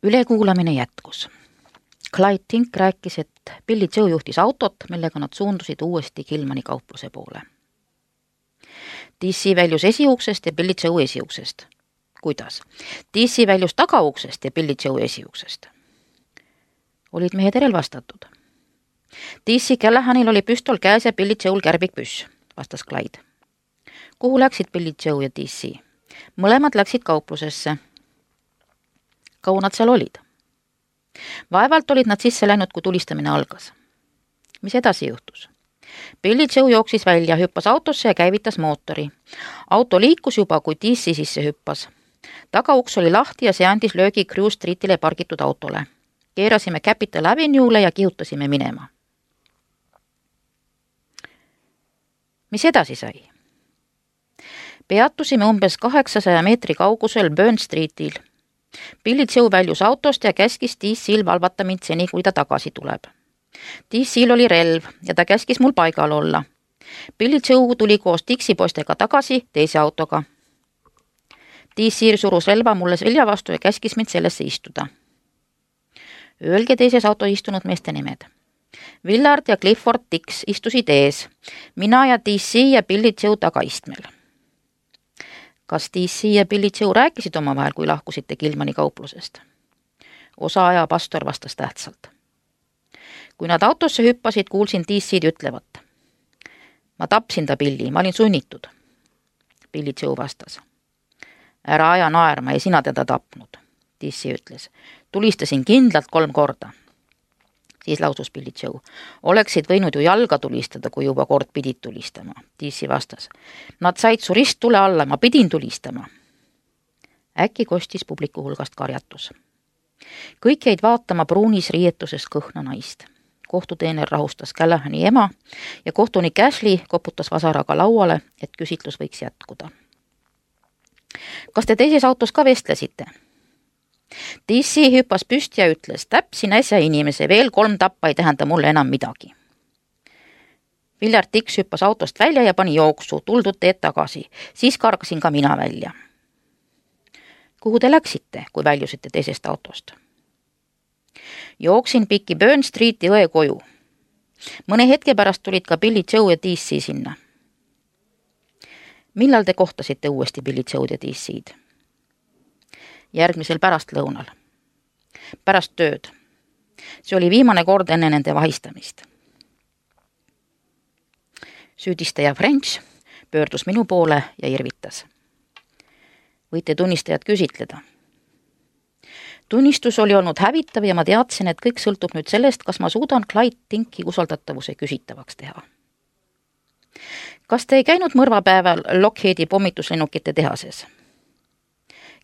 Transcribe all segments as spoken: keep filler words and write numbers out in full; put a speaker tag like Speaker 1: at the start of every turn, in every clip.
Speaker 1: Ülekuulamine jätkus. Clyde Tink rääkis, et Billy Joe juhtis autot, millega nad suundusid uuesti Gilmani kaupluse poole. D C väljus esiuksest ja Billy Joe esiuksest. Kuidas? D C väljus tagauksest ja Billy Joe esiuksest. Olid mehed relvastatud. D C Callahanil oli püstol käes ja Billy Joe'l kärbikpüss, vastas Clyde. Kuhu läksid Billy Joe ja D C? Mõlemad läksid kauplusesse. Kaua nad seal olid? Vaevalt olid nad sisse läinud, kui tulistamine algas. Mis edasi juhtus? Billy Joe jooksis välja, hüppas autosse ja käivitas mootori. Auto liikus juba, kui D C sisse hüppas. Tagauks oli lahti ja see andis löögi Crew Streetile pargitud autole. Keerasime Capital Avenue'le ja kihutasime minema. Mis edasi sai? Peatusime umbes kaheksasaja meetri kaugusel Burn Streetil. Billy Joe väljus autost ja käskis D C-l valvata mind seni, kui ta tagasi tuleb. D C-l oli relv ja ta käskis mul paigal olla. Billy Joe tuli koos Dixi poistega tagasi teise autoga. D C surus relva mulle selja vastu ja käskis mind sellesse istuda. Öelge teises auto istunud meeste nimed. Willard ja Clifford Dix istusid ees, mina ja D C ja Billy Joe tagaistmel. Kas D C ja Billy Joe rääkisid omavahel, kui lahkusite Gilmani kauplusest? Osa aja pastor vastas tähtsalt. Kui nad autosse hüppasid, kuulsin D C-d ütlevat. Ma tapsin ta, Billy, ma olin sunnitud. Billy Joe vastas. Ära aja naerma, ei sina teda tapnud, D C ütles. Tulistasin kindlalt kolm korda. Siis lausus Billy Joe. Oleksid võinud ju jalga tulistada, kui juba kord pidid tulistama. D C vastas. Nad said su risttule alla, ma pidin tulistama. Äkki kostis publiku hulgast karjatus. Kõik jäid vaatama pruunis riietuses kõhna naist. Kohtuteener rahustas Callahani ema ja kohtunik Ashley koputas vasaraga lauale, et küsitlus võiks jätkuda. Kas te teises autos ka vestlesite? D C hüppas püsti ja ütles, täpsin äsja inimese, veel kolm tappa ei tähenda mulle enam midagi. Willard Dix hüppas autost välja ja pani jooksu, tuldud teed tagasi, siis kargasin ka mina välja. Kuhu te läksite, kui väljusite teisest autost? Jooksin pikki Burn Streeti õe koju. Mõne hetke pärast tulid ka Billy Joe ja D C sinna. Millal te kohtasite uuesti Billy Joe ja D C-d? Järgmisel pärastlõunal. Pärast tööd. See oli viimane kord enne nende vahistamist. Süüdistaja French pöördus minu poole ja irvitas. Võite tunnistajat küsitleda. Tunnistus oli olnud hävitav ja ma teadsin, et kõik sõltub nüüd sellest, kas ma suudan Clyde Tinki usaldatavuse küsitavaks teha. Kas te ei käinud mõrvapäeval Lockheedi pommituslennukite tehases?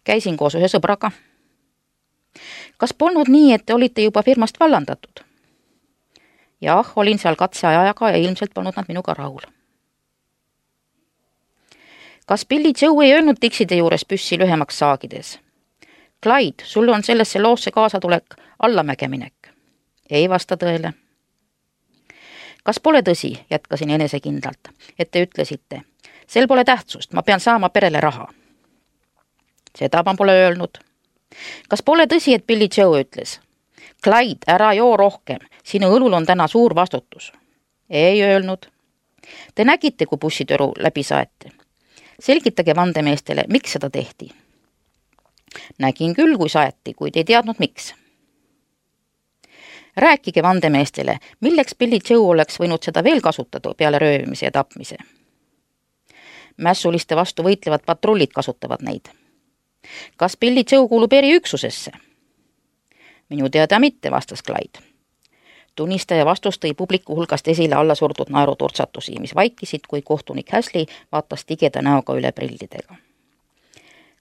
Speaker 1: Käisin koos ühe sõbraga. Kas polnud nii, et te olite juba firmast vallandatud? Jah, olin seal katseajaga ja ilmselt polnud nad minuga rahul. Kas Billy Joe ei öelnud Dixide juures püssi lühemaks saagides? Clyde, sul on sellesse loosse kaasatulek allamägeminek. Ei vasta tõele. Kas pole tõsi, jätkasin enesekindlalt, et te ütlesite, sel pole tähtsust, ma pean saama perele raha. Seda ma pole öelnud. Kas pole tõsi, et Billy Joe ütles, Clyde, ära joo rohkem, sinu õlul on täna suur vastutus. Ei öelnud. Te nägite, kui bussitoru läbi saete. Selgitage vandemeestele, miks seda tehti. Nägin küll, kui saeti, kuid ei teadnud miks. Rääkige vandemeestele, milleks Billy Joe oleks võinud seda veel kasutada peale röövimise ja tapmise. Mässuliste vastu võitlevad patrullid kasutavad neid. Kas Billy Joe kuulub eriüksusesse? Minu teada mitte, vastas Clyde. Tunnistaja vastus tõi publiku hulgast esile alla surdud naeruturtsatusi, mis vaikisid, kui kohtunik Ashley vaatas tigeda näoga üle prillidega.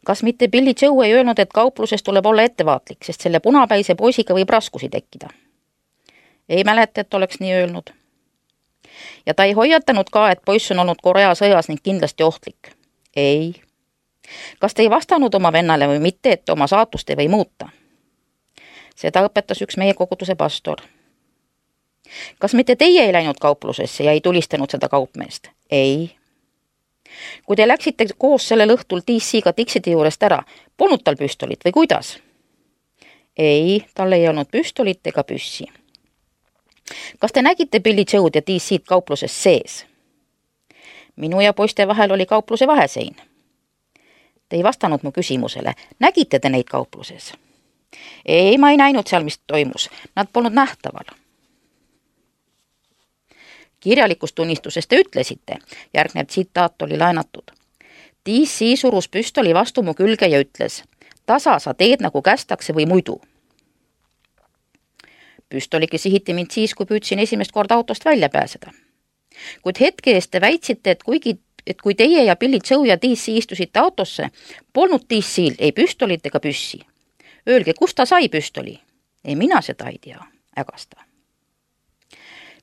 Speaker 1: Kas mitte Billy Joe ei öelnud, et kaupluses tuleb olla ettevaatlik, sest selle punapäise poisiga võib raskusi tekkida? Ei mäleta, et oleks nii öelnud. Ja ta ei hoiatanud ka, et poiss on olnud Korea sõjas ning kindlasti ohtlik? Ei. Kas te ei vastanud oma vennale või mitte, et oma saatust ei või muuta? Seda õpetas üks meie koguduse pastor. Kas mitte teie ei läinud kauplusesse ja ei tulistanud seda kaupmeest? Ei. Kui te läksite koos sellel õhtul D C-ga Dixide juurest ära, polnud tal püstolit või kuidas? ei, tal ei olnud püstolit ega püssi. Kas te nägite Billy Joe'd ja D C-d kaupluses sees? Minu ja poiste vahel oli kaupluse vahesein. Te ei vastanud mu küsimusele. Nägite te neid kaupluses? Ei, ma ei näinud seal, mis toimus. Nad polnud nähtaval. Kirjalikus tunnistuses te ütlesite, järgnev tsitaat oli laenatud. D C surus püstoli vastu mu külge ja ütles, tasa sa teed nagu kästakse või muidu. Püstoligi sihiti mind siis, kui püüdsin esimest korda autost välja pääseda. Kuid hetke eest te väitsite, et kuigi et kui teie ja Billy Joe ja D C istusite autosse, polnud D C-l ei püstolit ega püssi. Öelge, kust ta sai püstoli? Ei, mina seda ei tea, ägasta.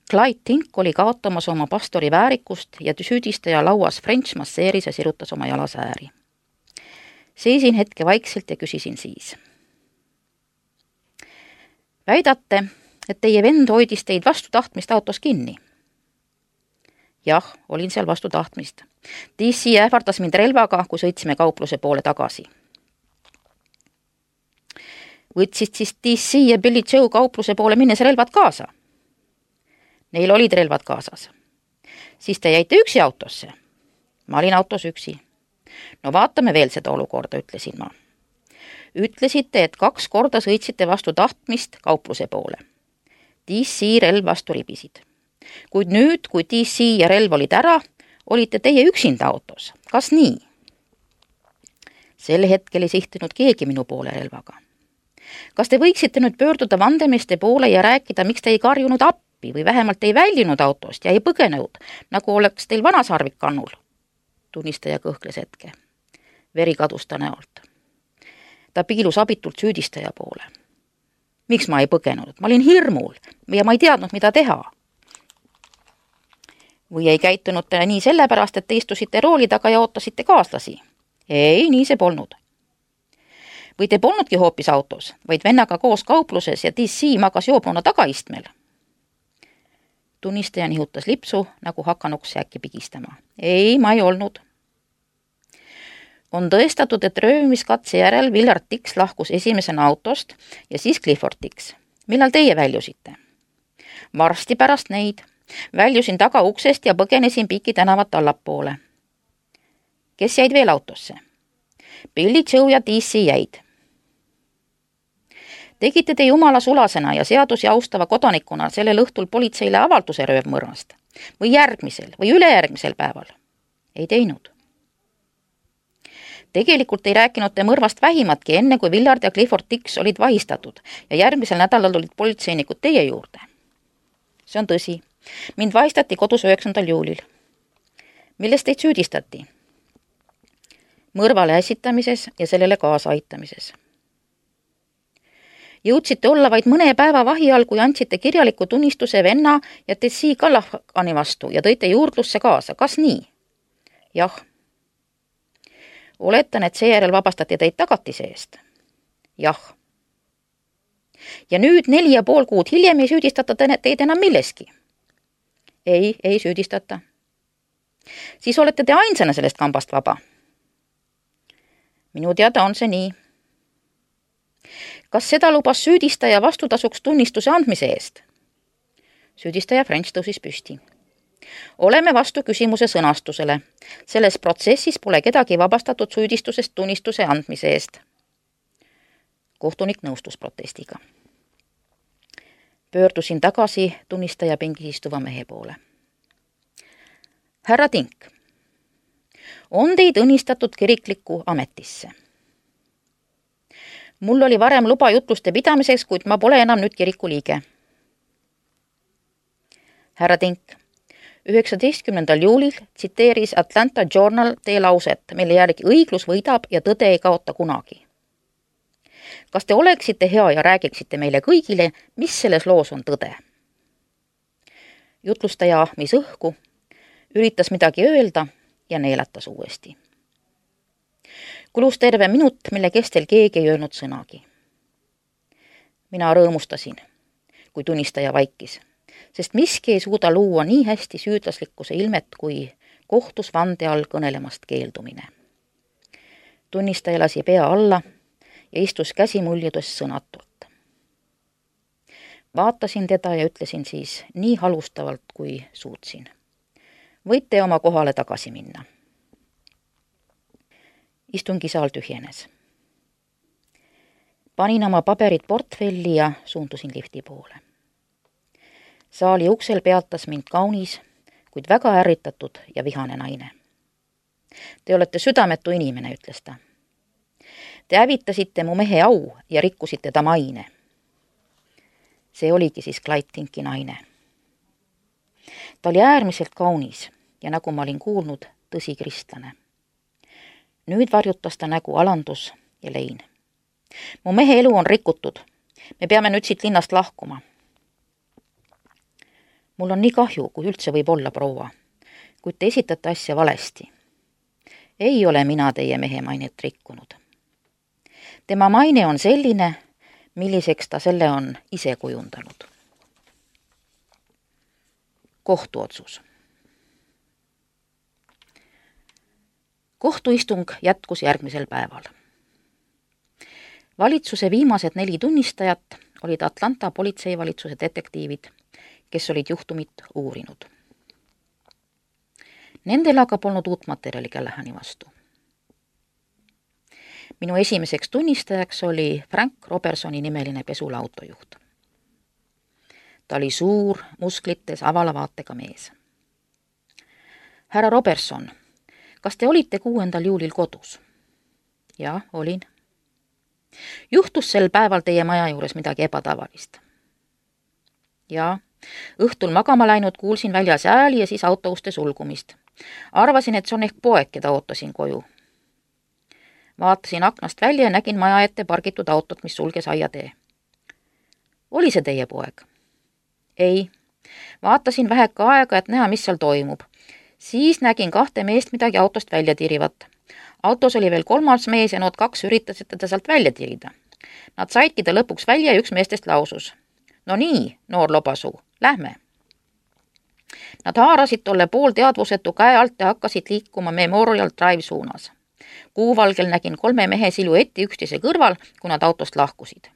Speaker 1: Clyde Tink oli kaotamas oma pastori väärikust ja süüdistaja lauas French masseeris ja sirutas oma jalasääri. Seisin hetke vaikselt ja küsisin siis. Väidate, et teie vend hoidis teid vastu tahtmist autos kinni? Jah, olin seal vastu tahtmist. D C ähvardas mind relvaga, kui sõitsime kaupluse poole tagasi. Võtsid siis D C ja Billy Joe kaupluse poole minnes relvad kaasa? Neil olid relvad kaasas. Siis te jäite üksi autosse? Ma olin autos üksi. No vaatame veel seda olukorda, ütlesin ma. Ütlesite, et kaks korda sõitsite vastu tahtmist kaupluse poole. D C relv vastu ribisid. Kuid nüüd, kui D C ja relv olid ära, olite teie üksinda autos. Kas nii? Sel hetkel ei sihtinud keegi minu poole relvaga. Kas te võiksite nüüd pöörduda vandemeeste poole ja rääkida, miks te ei karjunud appi või vähemalt ei väljunud autost ja ei põgenenud, nagu oleks teil vanasarvik kannul? Tunnistaja kõhkles hetke. Veri kadus ta näolt. Ta piilus abitult süüdistaja poole. Miks ma ei põgenud? Ma olin hirmul ja ma ei teadnud, mida teha. Või ei käitunud te nii sellepärast, et te istusite rooli taga ja ootasite kaaslasi? Ei, nii see polnud. Või te polnudki hoopis autos, vaid vennaga koos kaupluses ja D C magas joobnuna tagaistmel? Tunnistaja nihutas lipsu, nagu hakanuks äkki pigistama. Ei, ma ei olnud. On tõestatud, et röövimiskatse järel Willard Dix lahkus esimesena autost ja siis Clifford Dix. Millal teie väljusite? Varsti pärast neid. Väljusin taga uksest ja põgenesin Piki tänavat allapoole. Kes jäid veel autosse? Billy Joe ja D C jäid. Tegite te jumala sulasena ja seadusi austava kodanikuna sellel õhtul politseile avalduse röövmõrvast? Või järgmisel või ülejärgmisel päeval? Ei teinud. Tegelikult ei rääkinud te mõrvast vähimatki enne, kui Willard ja Clifford Dix olid vahistatud ja järgmisel nädalal olid politseinikud teie juurde. See on tõsi. Mind vahistati kodus üheksandal juulil. Milles teid süüdistati? Mõrvale äsitamises ja sellele kaasa aitamises. Jõudsite olla vaid mõne päeva vahi all, kui andsite kirjaliku tunnistuse venna ja D C Callahani vastu ja tõite juurdlusse kaasa. Kas nii? Jah. Oletan, et seejärel vabastati teid tagatise eest? Jah. Ja nüüd neli ja pool kuud hiljem ei süüdistata teid enam milleski? Ei, ei süüdistata. Siis olete te ainsana sellest kambast vaba? Minu teada on see nii. Kas seda lubas süüdistaja vastutasuks tunnistuse andmise eest? Süüdistaja French tõusis püsti. Oleme vastu küsimuse sõnastusele. Selles protsessis pole kedagi vabastatud süüdistusest tunnistuse andmise eest. Kohtunik nõustus protestiga. Pöördusin tagasi tunnistaja pingis istuva mehe poole. Härra Tink, on teid õnnistatud kiriklikku ametisse? Mul oli varem luba jutluste pidamiseks, kuid ma pole enam nüüd kiriku liige. Härra Tink, üheksateistkümnendal juulil tsiteeris Atlanta Journal teie lauset, mille järgi õiglus võidab ja tõde ei kaota kunagi. Kas te oleksite hea ja räägiksite meile kõigile, mis selles loos on tõde? Jutlustaja ahmis õhku, üritas midagi öelda ja neelatas uuesti. Kulus terve minut, mille kestel keegi ei öelnud sõnagi. Mina rõõmustasin, kui tunnistaja vaikis, sest miski ei suuda luua nii hästi süüdlaslikkuse ilmet kui kohtus vande all kõnelemast keeldumine. Tunnistaja lasi pea alla ja istus käsi muljedes sõnatult. vaatasin teda ja ütlesin siis nii halustavalt, kui suutsin. Võite oma kohale tagasi minna. Istungisaal tühjenes. Panin oma paberid portfelli ja suundusin lifti poole. Saali uksel peatas mind kaunis, kuid väga ärritatud ja vihane naine. Te olete südametu inimene, ütles ta. Te hävitasite mu mehe au ja rikkusite ta maine. See oligi siis Clyde Tinki naine. Ta oli äärmiselt kaunis ja nagu ma olin kuulnud, tõsi kristlane. Nüüd varjutas ta nägu alandus ja lein. Mu mehe elu on rikutud. Me peame nüüd siit linnast lahkuma. Mul on nii kahju, kui üldse võib olla, proua, kuid te esitate asja valesti. Ei ole mina teie mehe mainet rikkunud. Tema maine on selline, milliseks ta selle on ise kujundanud. Kohtuotsus. Kohtuistung jätkus järgmisel päeval. Valitsuse viimased neli tunnistajat olid Atlanta politseivalitsuse detektiivid, kes olid juhtumit uurinud. Nendel aga polnud uut materjali Callahani vastu. Minu esimeseks tunnistajaks oli Frank Robertsoni nimeline pesula autojuht. Ta oli suur, musklites, avala vaatega mees. Härra Robertson, kas te olite kuuendal juulil kodus? Jah, olin. Juhtus sel päeval teie maja juures midagi ebatavalist? Jaa, õhtul magama läinud kuulsin väljas ääli ja siis autouste sulgumist. Arvasin, et see on ehk poeg, keda ootasin koju. Vaatasin aknast välja ja nägin maja ette pargitud autot, mis sulges aiatee. Oli see teie poeg? Ei. Vaatasin väheka aega, et näha, mis seal toimub. Siis nägin kahte meest midagi autost välja tirivat. Autos oli veel kolmas mees ja nood kaks üritasid teda sealt välja tirida. Nad saidki ta lõpuks välja ja üks meestest lausus. No nii, noor lobasuu, lähme. Nad haarasid tolle pool teadvusetu käe alt ja hakkasid liikuma Memorial Drive suunas. Kuuvalgel nägin kolme mehe siluetti üksteise kõrval, kui nad autost lahkusid.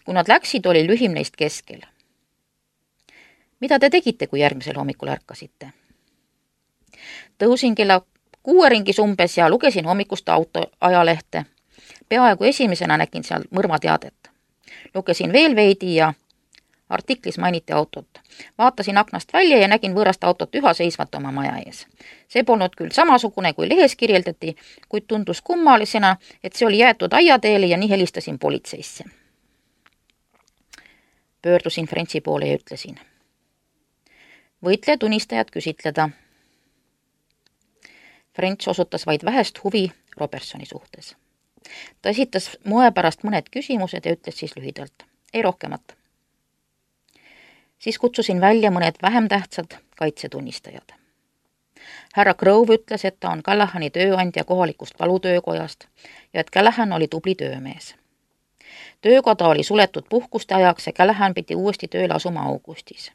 Speaker 1: Kui nad läksid, oli lühim neist keskel. Mida te tegite, kui järgmisel hommikul ärkasite? Tõusin kella kuue ringis umbes ja lugesin hommikust autoajalehte. Peaaegu esimesena nägin seal mõrvateadet. Lugesin veel veidi ja artiklis mainiti autot. Vaatasin aknast välja ja nägin võõrast autot üha seisvat oma maja ees. See polnud küll samasugune, kui lehes kirjeldati, kuid tundus kummalisena, et see oli jäetud aiateele ja nii helistasin politseisse. Pöördusin Frenchi poole ja ütlesin. Võitle tunnistajad küsitleda. French osutas vaid vähest huvi Robertsoni suhtes. Ta esitas moe pärast mõned küsimused ja ütles siis lühidalt. Ei rohkemat. Siis kutsusin välja mõned vähem tähtsad kaitsetunnistajad. Härra Grove ütles, et ta on Callahani tööandja kohalikust valutöökojast ja et Callahan oli tubli töömees. Töökoda oli suletud puhkuste ajaks ja Callahan pidi uuesti tööle asuma augustis.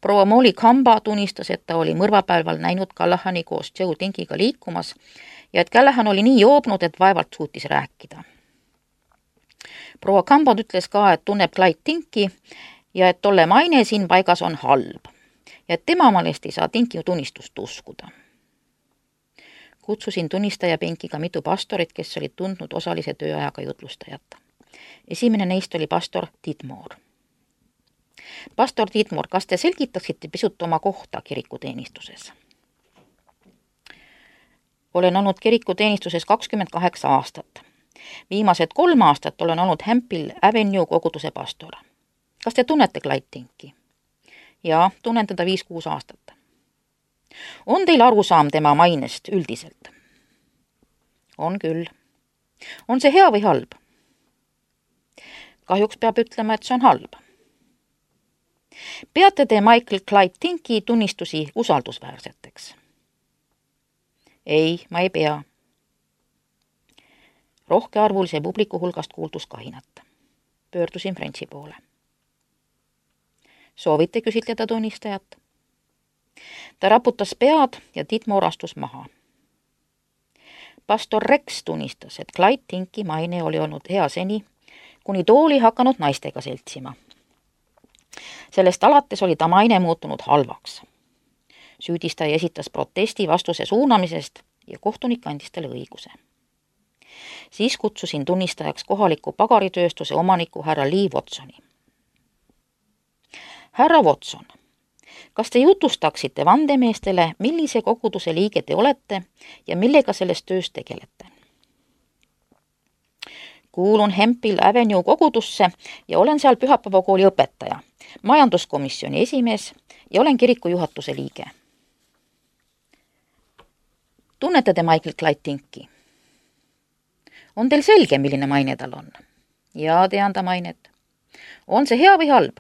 Speaker 1: Proua Molly Kamba tunnistas, et ta oli mõrvapäeval näinud Callahani koos Joe Tinkiga liikumas ja et Callahan oli nii joobnud, et vaevalt suutis rääkida. Proua Kamba ütles ka, et tunneb Clyde Tinki ja et tolle maine siin paigas on halb ja et tema meelest ei saa Tinki tunnistust uskuda. Kutsusin tunnistajapinkiga mitu pastorit, kes olid tundnud osalise tööajaga jutlustajat. Esimene neist oli pastor Tidmore. Pastor Tidmore, kas te selgitaksite pisut oma kohta kirikuteenistuses? Olen olnud kirikuteenistuses kakskümmend kaheksa aastat. Viimased kolm aastat olen olnud Hemphill Avenue koguduse pastor. Kas te tunnete Clyde Tinki? Jaa, tunnen teda viis-kuus aastat. On teil arusaam tema mainest üldiselt? On küll. On see hea või halb? Kahjuks peab ütlema, et see on halb. Peate te Michael Clyde Tinki tunnistusi usaldusväärseteks? Ei, ma ei pea. Rohkearvulise publiku hulgast kuuldus kahinat. Pöördusin Frenchi poole. Soovite küsitleda tunnistajat? Ta raputas pead ja Tidmore astus maha. Pastor Rex tunnistas, et Clyde Tinki maine oli olnud hea seni, kuni tooli hakanud naistega seltsima. sellest alates oli ta maine muutunud halvaks. Süüdistaja esitas protesti vastuse suunamisest ja kohtunik andis talle õiguse. Siis kutsusin tunnistajaks kohaliku pagaritööstuse omaniku härra Lee Watsoni. Härra Watson, kas te jutustaksite vandemeestele, millise koguduse liige te olete ja millega selles töös tegelete? Kuulun Hemphill Avenue kogudusse ja olen seal pühapäevakooli õpetaja, majanduskomisjoni esimees ja olen kiriku juhatuse liige. Tunnete te Michael Clyde Tinki? On teil selge, milline maine tal on? Jaa, tean ta mainet. On see hea või halb?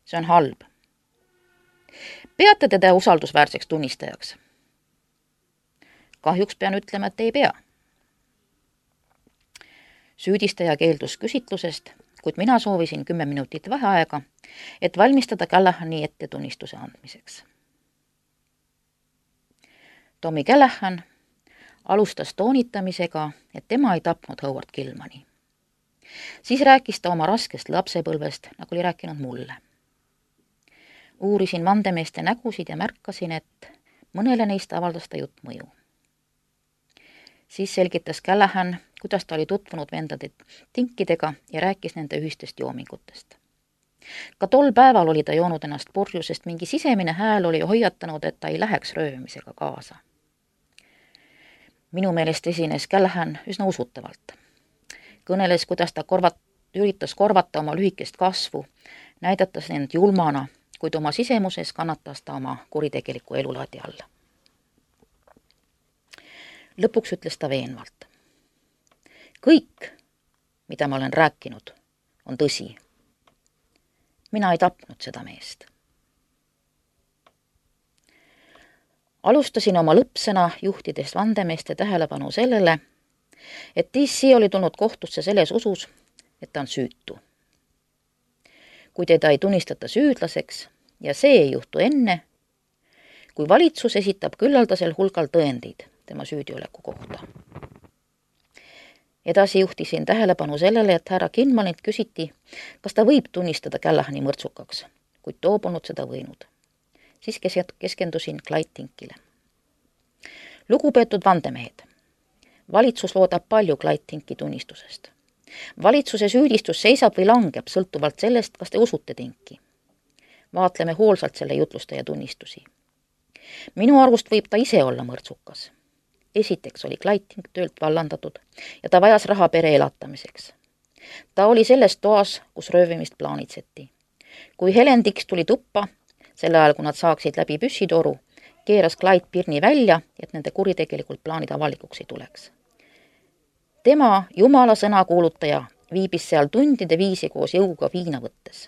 Speaker 1: See on halb. Peate teda usaldusväärseks tunnistajaks? Kahjuks pean ütlema, et ei pea. Süüdistaja keeldus küsitlusest, kuid mina soovisin kümme minutit vaheaega, et valmistada Callahani ette tunnistuse andmiseks. Tommy Callahan alustas toonitamisega, et tema ei tapnud Howard Gilmani. Siis rääkis ta oma raskest lapsepõlvest, nagu oli rääkinud mulle. Uurisin vandemeeste nägusid ja märkasin, et mõnele neist avaldas ta jutt mõju. Siis selgitas Callahan, kuidas ta oli tutvunud vendade Tinkidega ja rääkis nende ühistest joomingutest. Ka tol päeval oli ta joonud ennast purju, sest mingi sisemine hääl oli hoiatanud, et ta ei läheks röövimisega kaasa. Minu meelest esines Callahan üsna usutavalt. Kõneles, kuidas ta korvat, üritas korvata oma lühikest kasvu, näidatas end julmana, kuid oma sisemuses kannatas ta oma kuritegeliku elulaadi alla. Lõpuks ütles ta veenvalt. Kõik, mida ma olen rääkinud, on tõsi. Mina ei tapnud seda meest. Alustasin oma lõppsõna juhtides vandemeeste tähelepanu sellele, et D C oli tulnud kohtusse selles usus, et ta on süütu. Kui teda ei tunnistata süüdlaseks ja see ei juhtu enne, kui valitsus esitab küllaldasel hulgal tõendeid tema süüdioleku kohta. Edasi juhtisin tähelepanu sellele, et härra Gilmanilt küsiti, kas ta võib tunnistada Callahani mõrtsukaks, kuid too polnud seda võinud. Siis keskendusin Clyde Tinkile. Lugupeetud vandemehed, valitsus loodab palju Clyde Tinki tunnistusest. Valitsuse süüdistus seisab või langeb sõltuvalt sellest, kas te usute Tinki. Vaatleme hoolsalt selle jutlustaja tunnistusi. Minu arvust võib ta ise olla mõrtsukas. Esiteks oli Clyde Tink töölt vallandatud ja ta vajas raha pere elatamiseks. Ta oli selles toas, kus röövimist plaanitseti. Kui Helen Dix tuli tuppa, selle ajal, kui nad saaksid läbi püssitoru, keeras Clyde pirni välja, et nende kuritegelikult plaanid avalikuks ei tuleks. Tema, jumala sõna kuulutaja, viibis seal tundide viisi koos jõuga viina võttes.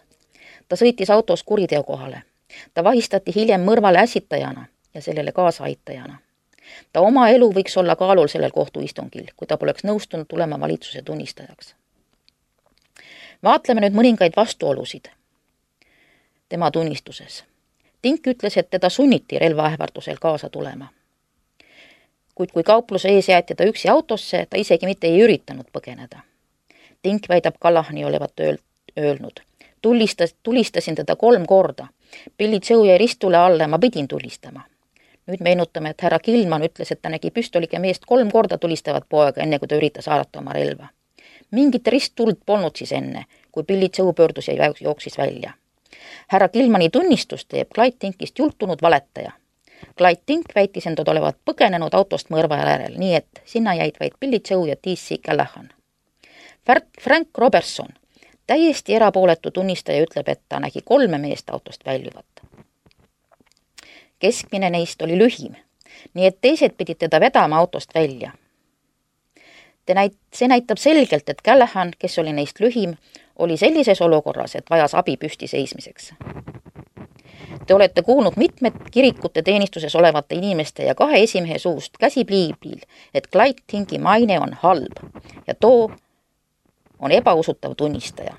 Speaker 1: Ta sõitis autos kuriteo kohale. Ta vahistati hiljem mõrvale ässitajana ja sellele kaasaaitajana. Ta oma elu võiks olla kaalul sellel kohtuistungil, kui ta poleks nõustunud tulema valitsuse tunnistajaks. Vaatleme nüüd mõningaid vastuolusid tema tunnistuses. Tink ütles, et teda sunniti relvaähvardusel kaasa tulema. Kuid kui kaupluse ees jäeti ta üksi autosse, ta isegi mitte ei üritanud põgeneda. Tink väidab Callahani olevat öelnud. Tulistas, tulistasin teda kolm korda. Billy Joe jäi ristule alla ja ma pidin tulistama. Nüüd meenutame, et härra Gilman ütles, et ta nägi püstoliga meest kolm korda tulistavat poega, enne kui ta üritas haarata oma relva. Mingit risttuld polnud siis enne, kui Billy Joe pöördus ja jooksis välja. Härra Gilmani tunnistus teeb Clyde Tinkist jultunud valetaja. Clyde Tink väitis endad olevat põgenenud autost mõrva järel, nii et sinna jäid vaid Billy Joe ja D C Callahan. Frank Robertson, täiesti erapooletu tunnistaja, ütleb, et ta nägi kolme meest autost väljuvat. Keskmine neist oli lühim, nii et teised pidid teda vedama autost välja. Te näit- see näitab selgelt, et Callahan, kes oli neist lühim, oli sellises olukorras, et vajas abi püsti seismiseks. Te olete kuulnud mitmed kirikute teenistuses olevate inimeste ja kahe esimehe suust käsipliibil, et Clyde Tinki maine on halb ja too on ebausutav tunnistaja.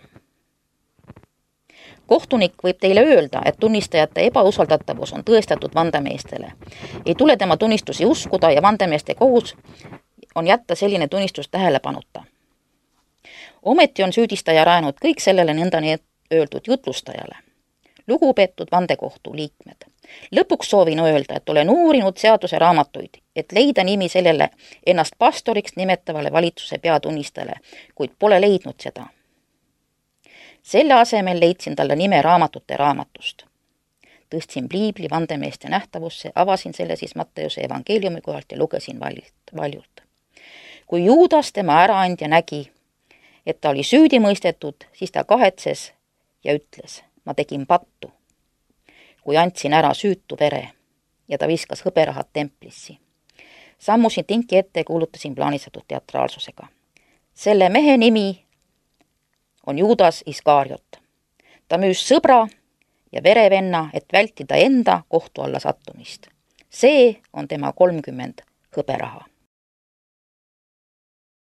Speaker 1: Kohtunik võib teile öelda, et tunnistajate ebausaldatavus on tõestatud vandemeestele. Ei tule tema tunnistusi uskuda ja vandemeeste kohus on jätta selline tunnistus tähelepanuta. Ometi on süüdistaja rajanud kõik sellele nõnda öeldud jutlustajale. lugupeetud vandekohtu liikmed. Lõpuks soovin öelda, et olen uurinud seaduse raamatuid, et leida nimi sellele ennast pastoriks nimetavale valitsuse peatunnistajale, kuid pole leidnud seda. Selle asemel leidsin talle nime raamatute raamatust. Tõstsin piibli vandemeeste nähtavusse, avasin selle siis Matteuse evangeeliumi kohalt ja lugesin valjult, valjult. Kui Juudas tema äraandja nägi, et ta oli süüdi mõistetud, siis ta kahetses ja ütles, ma tegin pattu, kui andsin ära süütu vere ja ta viskas hõberahad templissi. Sammusin tinki ette ja kuulutasin plaanistatud teatraalsusega. Selle mehe nimi on Juudas Iskariot. Ta müüs sõbra ja verevenna, et vältida enda kohtu alla sattumist. See on tema kolmkümmend hõberaha.